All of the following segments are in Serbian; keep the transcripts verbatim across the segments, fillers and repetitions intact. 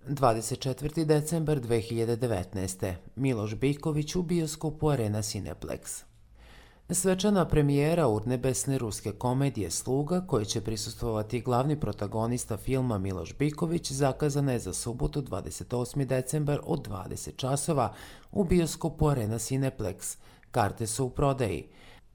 dvadeset četvrti decembar dve hiljade devetnaeste. Miloš Biković u bioskopu Arena Cineplex. Svečana premijera urnebesne ruske komedije Sluga, koje će prisustvovati glavni protagonista filma Miloš Biković, zakazana je za subotu dvadeset osmi decembar od dvadeset časova u bioskopu Arena Cineplex. Karte su u prodaji.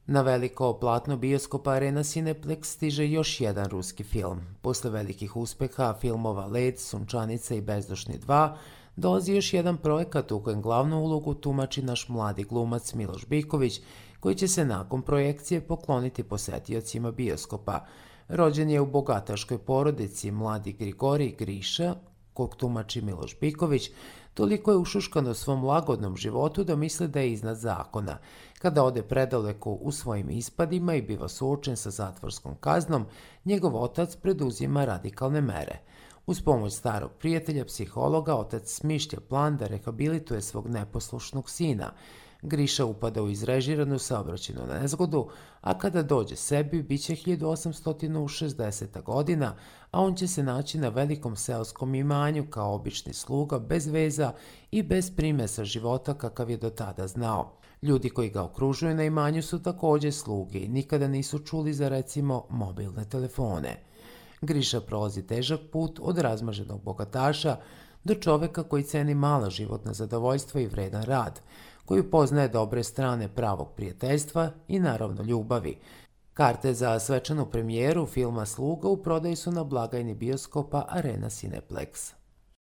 Na veliko platno bioskopa Arena Cineplex stiže još jedan ruski film. Posle velikih uspeha filmova Led, Sunčanica i Bezdušni dva, dolazi još jedan projekat u kojem glavnu ulogu tumači naš mladi glumac Miloš Biković, koji će se nakon projekcije pokloniti posetiocima bioskopa. Rođen je u bogataškoj porodici, mladi Grigorij Griša, kog tumači Miloš Biković, toliko je ušuškan u svom lagodnom životu da misle da je iznad zakona. Kada ode predaleko u svojim ispadima i biva suočen sa zatvorskom kaznom, njegov otac preduzima radikalne mere. Uz pomoć starog prijatelja, psihologa, otac smišlja plan da rehabilituje svog neposlušnog sina. Griša upada u izrežiranu saobraćajnu nezgodu, a kada dođe sebi, bit će hiljadu osamsto šezdeseta godina, a on će se naći na velikom seoskom imanju kao obični sluga, bez veza i bez primesa života kakav je do tada znao. Ljudi koji ga okružuju na imanju su također sluge i nikada nisu čuli za, recimo, mobilne telefone. Griša prolazi težak put od razmaženog bogataša do čoveka koji ceni mala životna zadovoljstva i vredan rad, koji poznaje dobre strane pravog prijateljstva i naravno ljubavi. Karte za svečanu premijeru filma Sluga u prodaju su na blagajni bioskopa Arena Cineplex.